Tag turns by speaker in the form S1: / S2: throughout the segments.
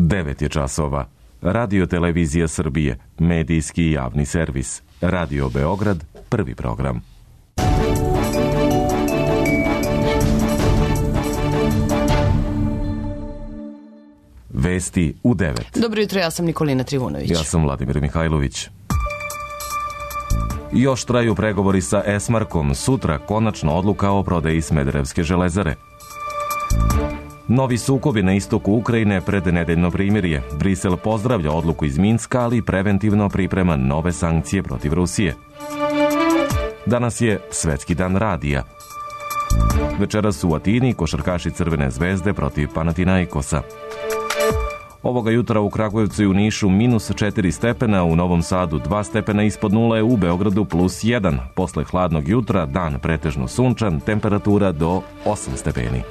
S1: 9 je časova. Radio Televizija Srbije, medijski i javni servis. Radio Beograd, prvi program. Vesti u 9.
S2: Dobro jutro, ja sam Nikolina Trivunović.
S1: Ja sam Vladimir Mihajlović. Još traju pregovori sa Esmarkom, sutra konačna odluka o prodaji Smederevske železare. Novi sukobi na istoku Ukrajine pred nedeljno primirje. Brisel pozdravlja odluku iz Minska, ali preventivno priprema nove sankcije protiv Rusije. Danas je Svetski dan radija. Večeras su u Atini košarkaši Crvene zvezde protiv Panathinaikosa. Ovoga jutra u Kragujevcu i u Nišu -4 stepena, u Novom Sadu 2 stepena ispod nule, u Beogradu +1. Posle hladnog jutra dan pretežno sunčan, temperatura do 8 stepeni.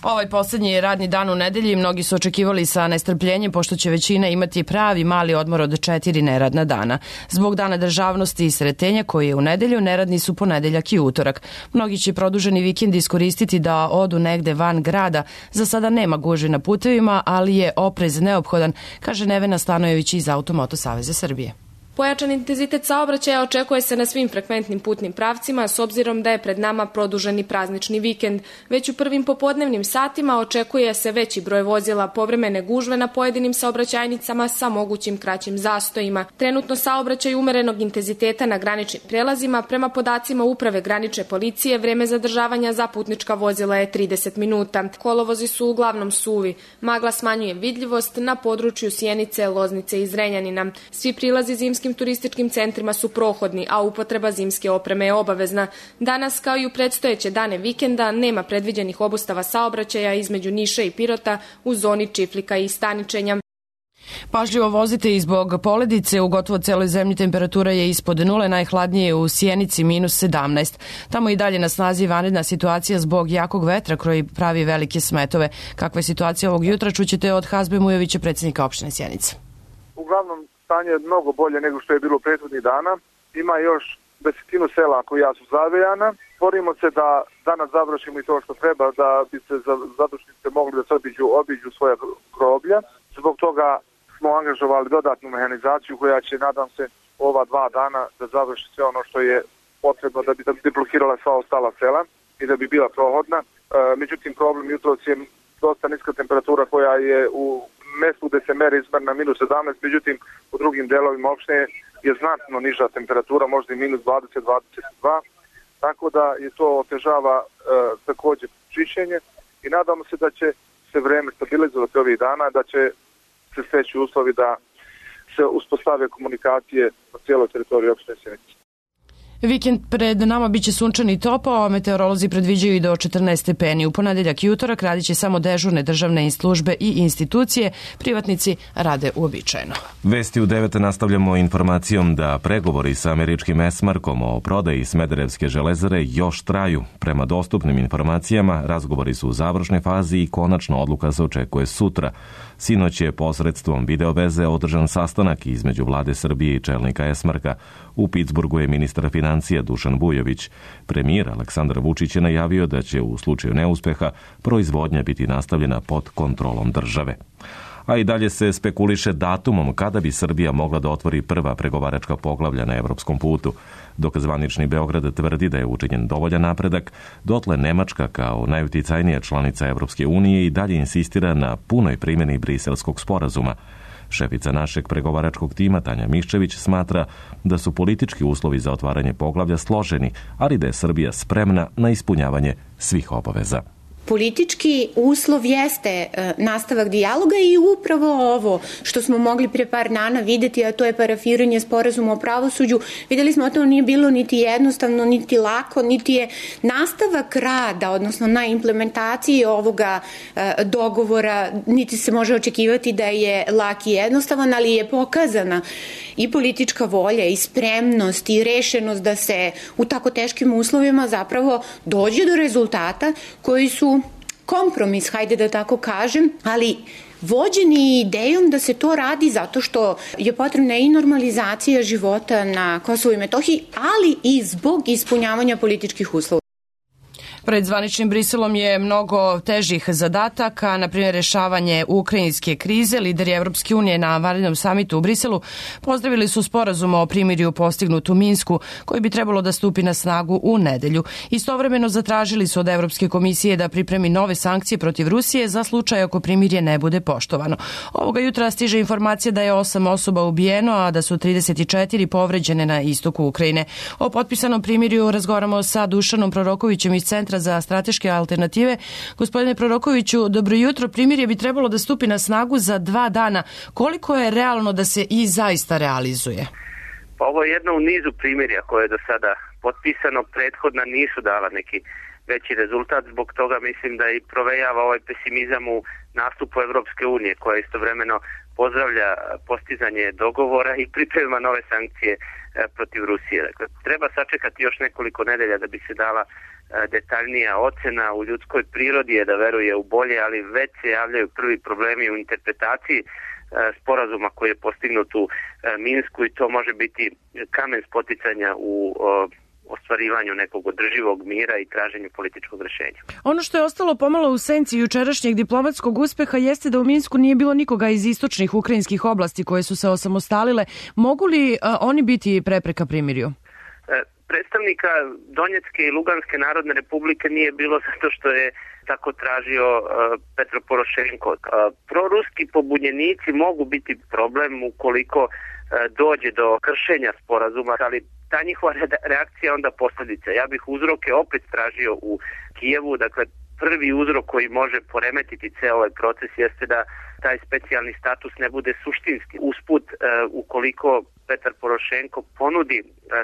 S2: Ovaj poslednji radni dan u nedelji mnogi su očekivali sa nestrpljenjem, pošto će većina imati pravi mali odmor od 4 neradna dana. Zbog Dana državnosti i Sretenja koji je u nedelju, neradni su ponedeljak i utorak. Mnogi će produženi vikend iskoristiti da odu negde van grada. Za sada nema gužvi na putevima, ali je oprez neophodan, kaže Nevena Stanojević iz Automoto Saveza Srbije.
S3: Pojačan intenzitet saobraćaja očekuje se na svim frekventnim putnim pravcima, s obzirom da je pred nama produženi praznični vikend. Već u prvim popodnevnim satima očekuje se veći broj vozila, povremene gužve na pojedinim saobraćajnicama sa mogućim kraćim zastojima. Trenutno saobraćaj umerenog intenziteta na graničnim prelazima, prema podacima Uprave granične policije, vreme zadržavanja za putnička vozila je 30 minuta. Kolovozi su uglavnom suvi. Magla smanjuje vidljivost na području Sjenice, Loznice i Zrenjanina. Svi prilazi zimskim turističkim centrima su prohodni, a upotreba zimske opreme je obavezna. Danas, kao i u predstojeće dane vikenda, nema predviđenih obustava saobraćaja između Niša i Pirota u zoni Čiflika i Staničenja.
S2: Pažljivo vozite i zbog poledice, u gotovo celoj zemlji temperatura je ispod nule, najhladnije u Sjenici -17. Tamo i dalje na snazi vanredna situacija zbog jakog vetra koji pravi velike smetove. Kakva je situacija ovog jutra, čućete od Hazbe Mujovića, predsjednika opštine Sjenica.
S4: Uglavnom, stanje je mnogo bolje nego što je bilo prethodnih dana. Ima još 10 sela koja su zavejana. Borimo se da danas završimo i to što treba, da bi se zadušnice mogli da se obiđu svoja groblja. Zbog toga smo angažovali dodatnu mehanizaciju koja će, nadam se, ova 2 dana da završi sve ono što je potrebno da bi deblokirala sva ostala sela i da bi bila prohodna. Međutim, problem jutros je dosta niska temperatura koja je u mestu gde se meri izmerna -17, međutim u drugim delovima opštine je znatno niža temperatura, možda i -20-22, tako da je to otežava takođe čišćenje i nadamo se da će se vreme stabilizovati ovih dana, da će se steći uslovi da se uspostave komunikacije na cijeloj teritoriji opštine Sjenica.
S2: Vikend pred nama biće sunčan i topao, a meteorolozi predviđaju i do 14 stepeni. U ponedeljak i utorak radit će samo dežurne državne službe i institucije, privatnici rade uobičajeno.
S1: Vesti u 9 nastavljamo informacijom da pregovori sa američkim Esmarkom o prodaji Smederevske železare još traju. Prema dostupnim informacijama, razgovori su u završnoj fazi i konačna odluka se očekuje sutra. Sinoć je posredstvom videoveze održan sastanak između vlade Srbije i čelnika Esmarka. U Pittsburghu je ministar financija Dušan Vujović. Premijer Aleksandar Vučić je najavio da će u slučaju neuspeha proizvodnja biti nastavljena pod kontrolom države. A i dalje se spekuliše datumom kada bi Srbija mogla da otvori prva pregovaračka poglavlja na evropskom putu. Dok zvanični Beograd tvrdi da je učinjen dovoljan napredak, dotle Nemačka kao najuticajnija članica Evropske unije i dalje insistira na punoj primjeni Briselskog sporazuma. Šefica našeg pregovaračkog tima Tanja Miščević smatra da su politički uslovi za otvaranje poglavlja složeni, ali da je Srbija spremna na ispunjavanje svih obaveza.
S5: Politički uslov jeste nastavak dijaloga i upravo ovo što smo mogli pre par dana videti, a to je parafiranje sporazuma o pravosuđu. Videli smo da to nije bilo niti jednostavno, niti lako, niti je nastavak rada, odnosno na implementaciji ovoga dogovora, niti se može očekivati da je lak i jednostavan, ali je pokazana i politička volja i spremnost i rešenost da se u tako teškim uslovima zapravo dođe do rezultata koji su kompromis, hajde da tako kažem, ali vođeni idejom da se to radi zato što je potrebna i normalizacija života na Kosovu i Metohiji, ali i zbog ispunjavanja političkih uslova.
S2: Pred zvaničnim Briselom je mnogo težih zadataka, na primjer rešavanje ukrajinske krize. Lideri Evropske unije na vanrednom samitu u Briselu pozdravili su sporazum o primirju postignut u Minsku, koji bi trebalo da stupi na snagu u nedelju. Istovremeno zatražili su od Evropske komisije da pripremi nove sankcije protiv Rusije za slučaj ako primirje ne bude poštovano. Ovoga jutra stiže informacija da je 8 osoba ubijeno, a da su 34 povređene na istoku Ukrajine. O potpisanom primirju razgovaramo sa Dušanom Prorokovićem iz Centra za strateške alternative. Gospodine Prorokoviću, dobro jutro. Primirje bi trebalo da stupi na snagu za 2 dana. Koliko je realno da se i zaista realizuje?
S6: Pa ovo je jedno u nizu primirja koje je do sada potpisano. Prethodna nisu dala neki veći rezultat. Zbog toga mislim da i provejava ovaj pesimizam u nastupu Evropske unije, koja istovremeno pozdravlja postizanje dogovora i priprema nove sankcije protiv Rusije. Dakle, treba sačekati još nekoliko nedelja da bi se dala detaljnija ocena. U ljudskoj prirodi je da veruje u bolje, ali već se javljaju prvi problemi u interpretaciji sporazuma koji je postignut u Minsku, i to može biti kamen spoticanja u ostvarivanju nekog održivog mira i traženju političkog rešenja.
S2: Ono što je ostalo pomalo u senci jučerašnjeg diplomatskog uspeha jeste da u Minsku nije bilo nikoga iz istočnih ukrajinskih oblasti koje su se osamostalile. Mogu li oni biti prepreka primirju?
S6: Predstavnika Donjecke i Luganske narodne republike nije bilo zato što je tako tražio Petro Porošenko. Proruski pobunjenici mogu biti problem ukoliko dođe do kršenja sporazuma, ali ta njihova reakcija onda posljedica. Ja bih uzroke opet tražio u Kijevu. Dakle, prvi uzrok koji može poremetiti ceo ovaj proces jeste da taj specijalni status ne bude suštinski. Usput, ukoliko Petar Porošenko ponudi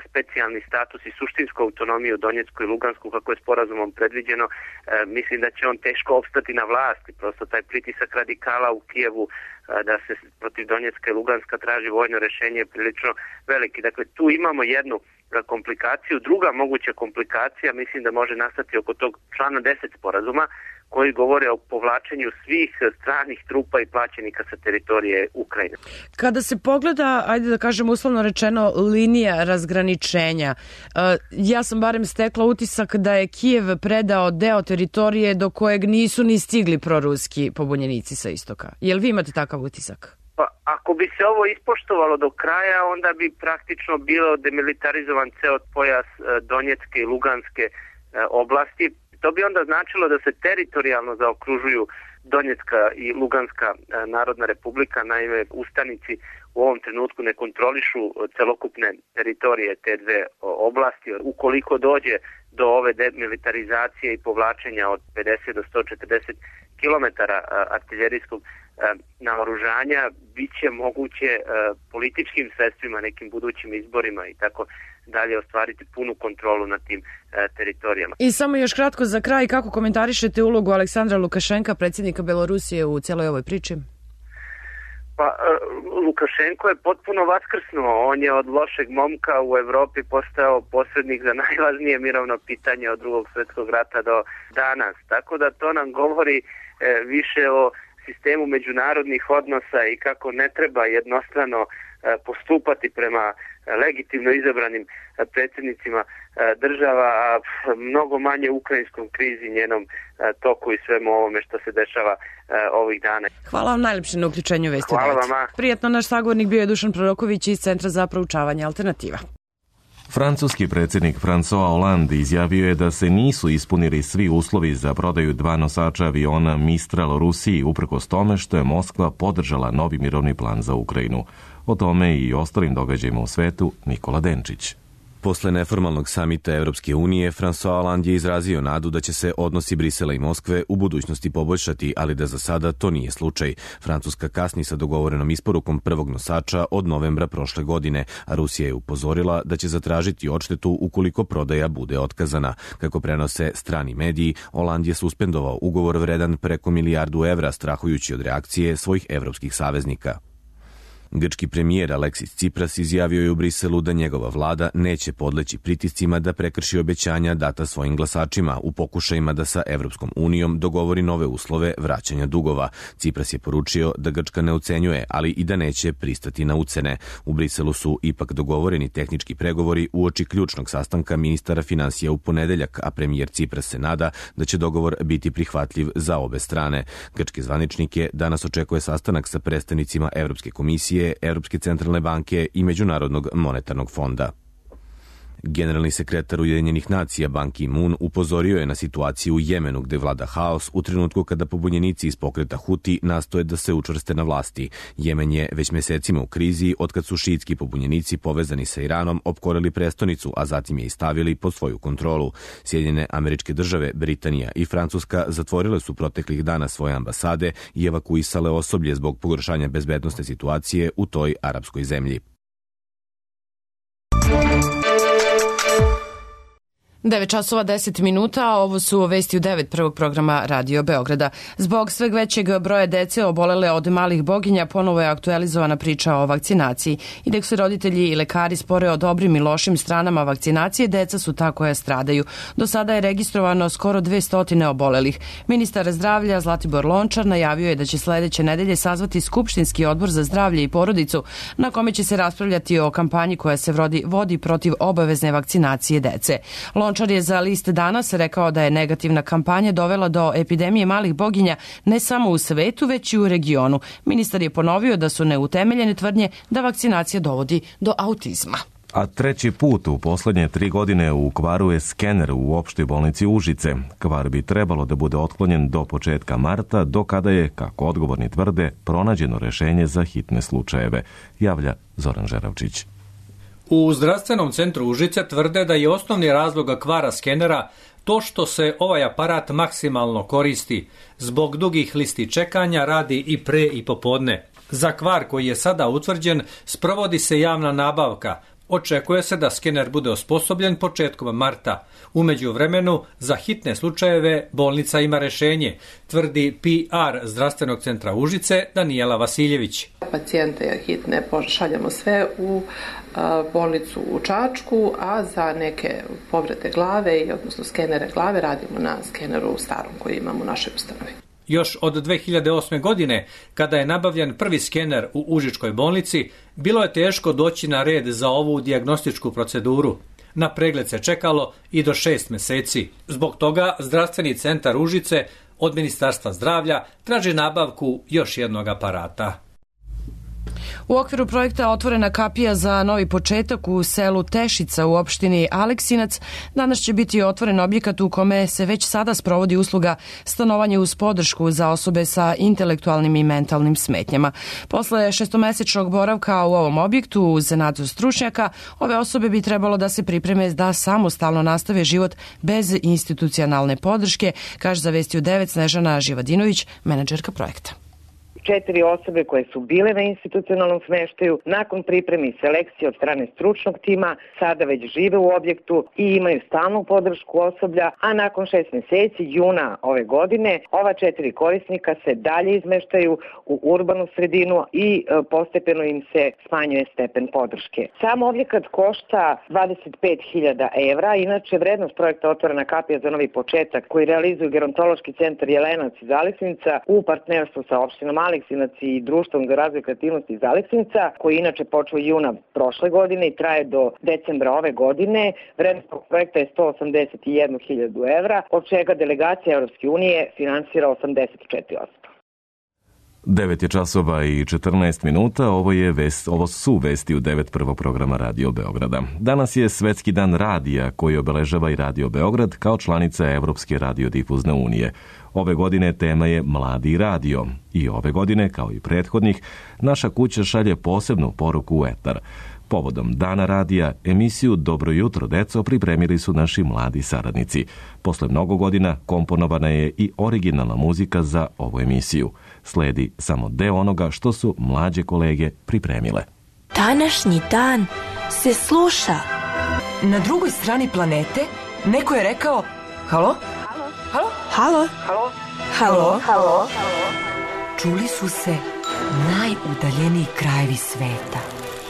S6: specijalni status i suštinsku autonomiju Donjecku i Lugansku kako je sporazumom predviđeno, mislim da će on teško opstati na vlasti. Prosto taj pritisak radikala u Kijevu da se protiv Donjecka i Luganska traži vojno rešenje je prilično veliki. Dakle, tu imamo jednu komplikaciju. Druga moguća komplikacija mislim da može nastati oko tog člana 10 sporazuma, koji govore o povlačenju svih stranih trupa i plaćenika sa teritorije Ukrajine.
S2: Kada se pogleda, ajde da kažem uslovno rečeno, linija razgraničenja, ja sam barem stekla utisak da je Kijev predao deo teritorije do kojeg nisu ni stigli proruski pobunjenici sa istoka. Jel vi imate takav utisak?
S6: Pa, ako bi se ovo ispoštovalo do kraja, onda bi praktično bilo demilitarizovan ceo pojas Donjecke i Luganske oblasti. To bi onda značilo da se teritorijalno zaokružuju Donjecka i Luganska narodna republika. Naime, ustanici u ovom trenutku ne kontrolišu celokupne teritorije te dve oblasti. Ukoliko dođe do ove demilitarizacije i povlačenja od 50 do 140 km artiljerijskog naoružanja, bit će moguće političkim sredstvima, nekim budućim izborima i tako dalje ostvariti punu kontrolu nad tim teritorijama.
S2: I samo još kratko za kraj, kako komentarišete ulogu Aleksandra Lukašenka, predsjednika Belorusije, u cijeloj ovoj priči?
S6: Pa, Lukašenko je potpuno vaskrsnuo. On je od lošeg momka u Evropi postao posrednik za najvažnije mirovno pitanje od Drugog svjetskog rata do danas. Tako da to nam govori više o sistemu međunarodnih odnosa i kako ne treba jednostrano postupati prema legitimno izabranim predsjednicima država, a mnogo manje ukrajinskom krizi, njenom toku i svemu ovome što se dešava ovih dana.
S2: Hvala vam najlepše na uključenju Vesti.
S6: Hvala vama.
S2: Prijetno, naš sagovornik bio je Dušan Proroković iz Centra za proučavanje alternativa.
S1: Francuski predsjednik François Hollande izjavio je da se nisu ispunili svi uslovi za prodaju 2 nosača aviona Mistral Rusiji, uprkos tome što je Moskva podržala novi mirovni plan za Ukrajinu. O tome i ostalim događajima u svetu Nikola Denčić.
S7: Posle neformalnog samita Evropske unije, François Hollande je izrazio nadu da će se odnosi Brisela i Moskve u budućnosti poboljšati, ali da za sada to nije slučaj. Francuska kasni sa dogovorenom isporukom prvog nosača od novembra prošle godine, a Rusija je upozorila da će zatražiti odštetu ukoliko prodaja bude otkazana. Kako prenose strani mediji, Hollande je suspendovao ugovor vredan preko $1 milijardu, strahujući od reakcije svojih evropskih saveznika. Grčki premijer Aleksis Tsipras izjavio je u Briselu da njegova vlada neće podleći pritiscima da prekrši obećanja data svojim glasačima u pokušajima da sa Evropskom unijom dogovori nove uslove vraćanja dugova. Tsipras je poručio da Grčka ne ucenjuje, ali i da neće pristati na ucene. U Briselu su ipak dogovoreni tehnički pregovori uoči ključnog sastanka ministara finansija u ponedeljak, a premijer Tsipras se nada da će dogovor biti prihvatljiv za obe strane. Grčke zvanečnike danas očekuje sastanak sa predstavnicima Evropske komisije, Evropske centralne banke i Međunarodnog monetarnog fonda. Generalni sekretar Ujedinjenih nacija Ban Ki-moon upozorio je na situaciju u Jemenu gde vlada haos u trenutku kada pobunjenici iz pokreta Huti nastoje da se učvrste na vlasti. Jemen je već mesecima u krizi otkad su šiitski pobunjenici povezani sa Iranom opkorili prestonicu, a zatim je i stavili pod svoju kontrolu. Sjedinjene Američke Države, Britanija i Francuska zatvorile su proteklih dana svoje ambasade i evakuisale osoblje zbog pogoršanja bezbednosne situacije u toj arapskoj zemlji.
S2: 9 časova 10 minuta, a ovo su vesti u 9 prvog programa Radio Beograda. Zbog sveg većeg broja dece obolele od malih boginja ponovo je aktualizovana priča o vakcinaciji. I dok se roditelji i lekari spore o dobrim i lošim stranama vakcinacije, deca su ta koja stradaju. Do sada je registrovano skoro 200 obolelih. Ministar zdravlja Zlatibor Lončar najavio je da će sledeće nedelje sazvati Skupštinski odbor za zdravlje i porodicu, na kome će se raspravljati o kampanji koja se vodi protiv obavezne vakcinacije dece. Lončar je za List Danas rekao da je negativna kampanja dovela do epidemije malih boginja ne samo u svetu, već i u regionu. Ministar je ponovio da su neutemeljene tvrdnje da vakcinacija dovodi do autizma.
S1: A treći put u poslednje 3 godine u kvaru je skener u opštoj bolnici Užice. Kvar bi trebalo da bude otklonjen do početka marta, do kada je, kako odgovorni tvrde, pronađeno rešenje za hitne slučajeve, javlja Zoran Žeravčić.
S8: U zdravstvenom centru Užice tvrde da je osnovni razlog kvara skenera to što se ovaj aparat maksimalno koristi. Zbog dugih listi čekanja radi i pre i popodne. Za kvar koji je sada utvrđen sprovodi se javna nabavka. Očekuje se da skener bude osposobljen početkom marta. U međuvremenu, za hitne slučajeve bolnica ima rešenje, tvrdi PR zdravstvenog centra Užice Danijela Vasiljević.
S9: Pacijente hitne pošaljemo sve u bolnicu u Čačku, a za neke povrede glave, odnosno skenere glave, radimo na skeneru starom koji imamo u našoj ustanovi.
S8: Još od 2008. godine, kada je nabavljen prvi skener u Užičkoj bolnici, bilo je teško doći na red za ovu dijagnostičku proceduru. Na pregled se čekalo i do 6 meseci. Zbog toga zdravstveni centar Užice od Ministarstva zdravlja traži nabavku još jednog aparata.
S2: U okviru projekta Otvorena kapija za novi početak u selu Tešica u opštini Aleksinac danas će biti otvoren objekat u kome se već sada sprovodi usluga stanovanje uz podršku za osobe sa intelektualnim i mentalnim smetnjama. Posle 6-mesečnog boravka u ovom objektu uz nadzor stručnjaka, ove osobe bi trebalo da se pripreme da samostalno nastave život bez institucionalne podrške, kaže za Vesti u 9 Snežana Živadinović, menadžerka projekta.
S10: 4 osobe koje su bile na institucionalnom smeštaju, nakon pripreme i selekcije od strane stručnog tima, sada već žive u objektu i imaju stalnu podršku osoblja, a nakon 6 meseci, juna ove godine, ova 4 korisnika se dalje izmeštaju u urbanu sredinu i postepeno im se smanjuje stepen podrške. Sam objekat košta 25.000 evra, inače vrednost projekta Otvorena kapija za novi početak koji realizuju Gerontološki centar Jelenac iz Aleksinca u partnerstvu sa opštinom Aleksinac i Društvom za razvoj kreativnosti iz Aleksinca, koji inače počeo juna prošle godine i traje do decembra ove godine. Vrednost projekta je 181.000 evra, od čega delegacija Evropske unije finansira 84%.
S1: 9 je časova i 14 minuta, ovo su vesti u 9 prvog programa Radio Beograda. Danas je Svetski dan radija koji obeležava i Radio Beograd kao članica Evropske radiodifuzne unije. Ove godine tema je Mladi radio i ove godine, kao i prethodnih, naša kuća šalje posebnu poruku u etar. Povodom Dana radija, emisiju Dobro jutro, deco pripremili su naši mladi saradnici. Posle mnogo godina komponovana je i originalna muzika za ovu emisiju. Sledi samo deo onoga što su mlađe kolege pripremile.
S11: Današnji dan se sluša.
S12: Na drugoj strani planete neko je rekao halo? Halo? Halo?
S11: Halo?
S12: Halo?
S11: Halo?
S12: Čuli su se najudaljeniji krajevi sveta.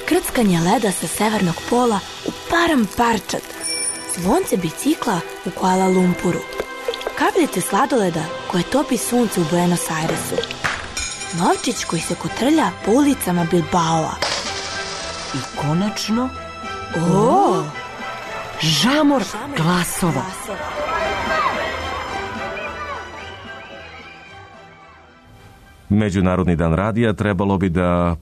S11: Krckanje leda sa severnog pola u Paramparčad. Zvonce bicikla u Kuala Lumpuru. Kapljice sladoleda koje topi sunce u Buenos Airesu. Novčić koji se kotrlja po ulicama Bilbaoa.
S12: I konačno, žamor glasova.
S1: Međunarodni dan radija trebalo bi da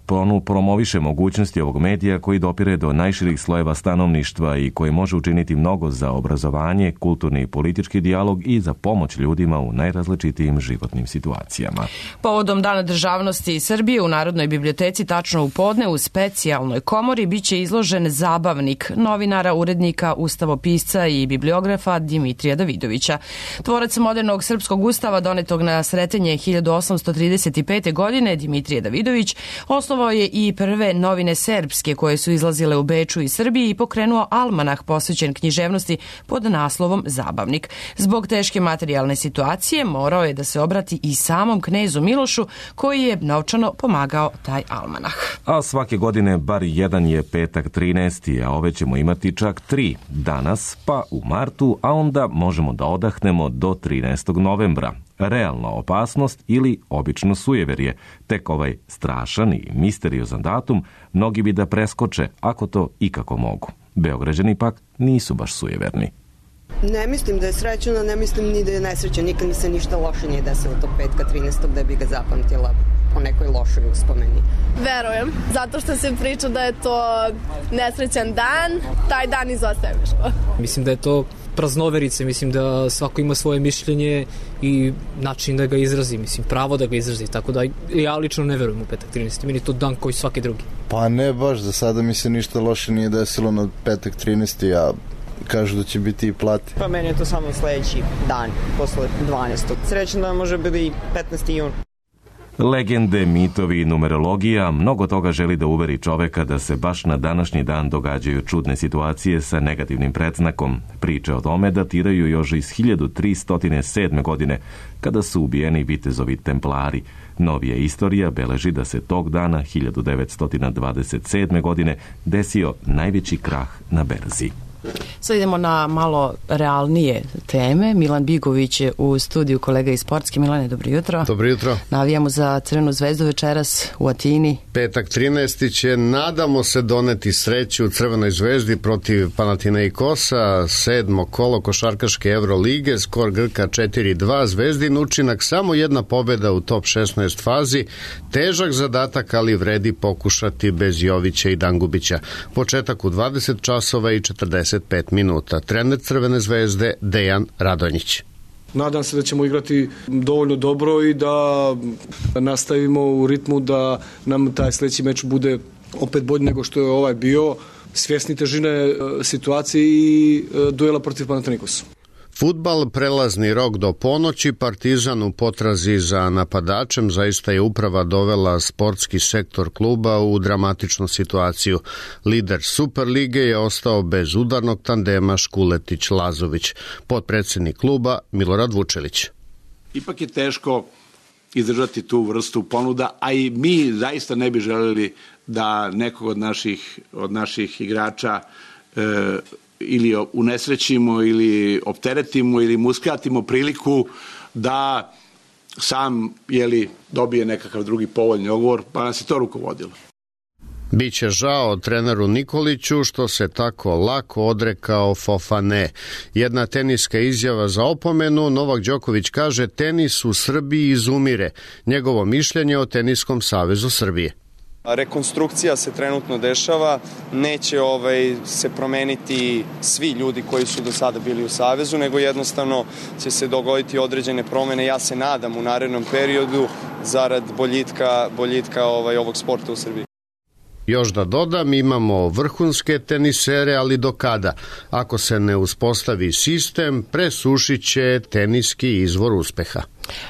S1: promoviše mogućnosti ovog medija koji dopire do najširih slojeva stanovništva i koji može učiniti mnogo za obrazovanje, kulturni i politički dijalog i za pomoć ljudima u najrazličitijim životnim situacijama.
S2: Povodom Dana državnosti Srbije u Narodnoj biblioteci tačno u podne u specijalnoj komori biće izložen zabavnik novinara, urednika, ustavopisca i bibliografa Dimitrija Davidovića. Tvorac modernog srpskog ustava donetog na Sretenje 1835. godine Dimitrije Davidović osnovao je i prve novine serbske koje su izlazile u Beču i Srbiji i pokrenuo almanah posvećen književnosti pod naslovom Zabavnik. Zbog teške materijalne situacije morao je da se obrati i samom knezu Milošu koji je novčano pomagao taj almanah.
S1: A svake godine bar jedan je petak 13. a ove ćemo imati čak 3 danas, pa u martu, a onda možemo da odahnemo do 13. novembra. Realna opasnost ili obično sujeverje. Tek ovaj strašan i misteriozan datum mnogi bi da preskoče ako to ikako mogu. Beograđani pak nisu baš sujeverni.
S13: Ne mislim da je srećan, a ne mislim ni da je nesrećan. Nikad mi se ništa loše nije desilo tog petka 13. da bi ga zapamtila po nekoj lošoj uspomeni.
S14: Verujem, zato što se priča da je to nesrećan dan, taj dan izostaje Miško.
S15: Mislim da je to praznoverice, mislim da svako ima svoje mišljenje i način da ga izrazi, mislim pravo da ga izrazi, tako da ja lično ne verujem u petak 13. Meni je to dan koji svaki drugi.
S16: Pa ne baš, za sada mi se ništa loše nije desilo na petak 13. a kažu da će biti i plati.
S17: Pa meni je to samo sledeći dan, posle 12. Srećan da može biti 15. jun.
S1: Legende, mitovi i numerologija, mnogo toga želi da uveri čoveka da se baš na današnji dan događaju čudne situacije sa negativnim predznakom. Priče o tome datiraju još iz 1307. godine, kada su ubijeni vitezovi templari. Novija istorija beleži da se tog dana, 1927. godine, desio najveći krah na berzi.
S2: Sad idemo na malo realnije teme. Milan Bigović je u studiju, kolega iz Sportske. Milane, dobro jutro.
S18: Dobro jutro.
S2: Navijamo za Crvenu zvezdu večeras u Atini.
S18: Petak 13. će, nadamo se, doneti sreću u Crvenoj zvezdi protiv Panathinaikosa, 7. kolo košarkaške Evrolige, skor Grka 4-2, Zvezdin učinak samo jedna pobjeda u top 16 fazi, težak zadatak, ali vredi pokušati bez Jovića i Dangubića. Početak u 20 časova i 45 minuta. Trener Crvene zvezde Dejan Radonjić.
S19: Nadam se da ćemo igrati dovoljno dobro i da nastavimo u ritmu da nam taj sledeći meč bude opet bolji nego što je ovaj bio, svjesni težine situacije i duela protiv Panathinaikosa.
S18: Fudbal, prelazni rok do ponoći, Partizan u potrazi za napadačem, zaista je uprava dovela sportski sektor kluba u dramatičnu situaciju. Lider Superlige je ostao bez udarnog tandema Škuletić-Lazović. Potpredsjednik kluba Milorad Vučelić.
S20: Ipak je teško izdržati tu vrstu ponuda, a i mi zaista ne bi želeli da nekog od naših igrača ili unesrećimo ili opteretimo ili mu uskratimo priliku da sam dobije nekakav drugi povoljni ugovor, pa nas je to rukovodilo.
S18: Biće žao treneru Nikoliću što se tako lako odrekao Fofane. Jedna teniska izjava za opomenu. Novak Đoković kaže: tenis u Srbiji izumire. Njegovo mišljenje o Teniskom savezu Srbije.
S21: Rekonstrukcija se trenutno dešava, neće se promeniti svi ljudi koji su do sada bili u Savezu, nego jednostavno će se dogoditi određene promene, ja se nadam, u narednom periodu zarad boljitka ovog sporta u Srbiji.
S18: Još da dodam, imamo vrhunske tenisere, ali do kada? Ako se ne uspostavi sistem, presušit će teniski izvor uspeha.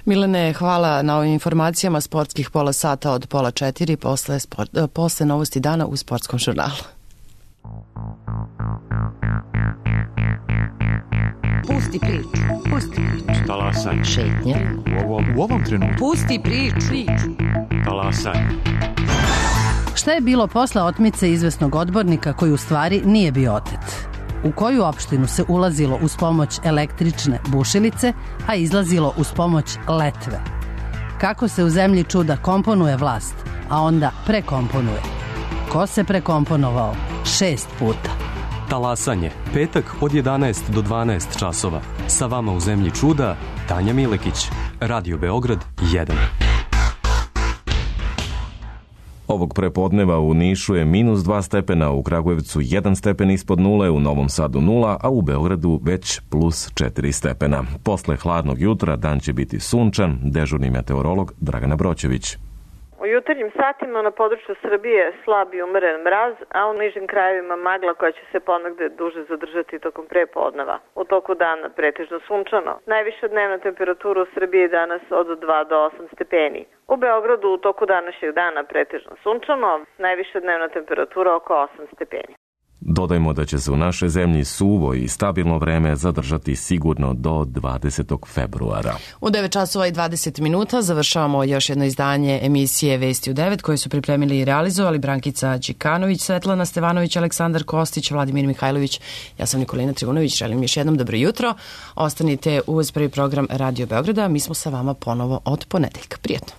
S2: Milane, hvala na ovim informacijama. Sportskih pola sata od 3:30 posle novosti dana u Sportskom žurnalu.
S3: Pusti priču. Pusti priču.
S22: Talasaj.
S3: Šetnja.
S22: U ovom trenutku.
S3: Pusti priču.
S22: Talasaj.
S23: Šta je bilo posle otmice izvesnog odbornika koji u stvari nije bio otet? U koju opštinu se ulazilo uz pomoć električne bušilice, a izlazilo uz pomoć letve? Kako se u zemlji čuda komponuje vlast, a onda prekomponuje? Ko se prekomponovao 6 puta?
S24: Talasanje, petak od 11 do 12 časova. Sa vama u zemlji čuda, Tanja Milekić, Radio Beograd 1.
S1: Ovog prepodneva u Nišu je -2 stepena, u Kragujevcu 1 stepen ispod nule, u Novom Sadu 0, a u Beogradu već +4 stepena. Posle hladnog jutra dan će biti sunčan, dežurni meteorolog Dragana Broćević.
S25: U jutarnjim satima na području Srbije slab i umeren mraz, a u nižim krajevima magla koja će se ponegde duže zadržati tokom prepodneva. U toku dana pretežno sunčano. Najviša dnevna temperatura u Srbiji je danas od 2 do 8 stepeni. U Beogradu u toku današnjeg dana pretežno sunčano, najviša dnevna temperatura oko 8 stepeni.
S1: Dodajmo da će se u našoj zemlji suvo i stabilno vreme zadržati sigurno do 20. februara.
S2: U 9 časova i 20 minuta završavamo još jedno izdanje emisije Vesti u 9 koje su pripremili i realizovali Brankica Đikanović, Svetlana Stevanović, Aleksandar Kostić, Vladimir Mihajlović. Ja sam Nikolina Trivunović, želim još jednom dobro jutro. Ostanite uz prvi program Radio Beograda, mi smo sa vama ponovo od ponedeljka. Prijetno.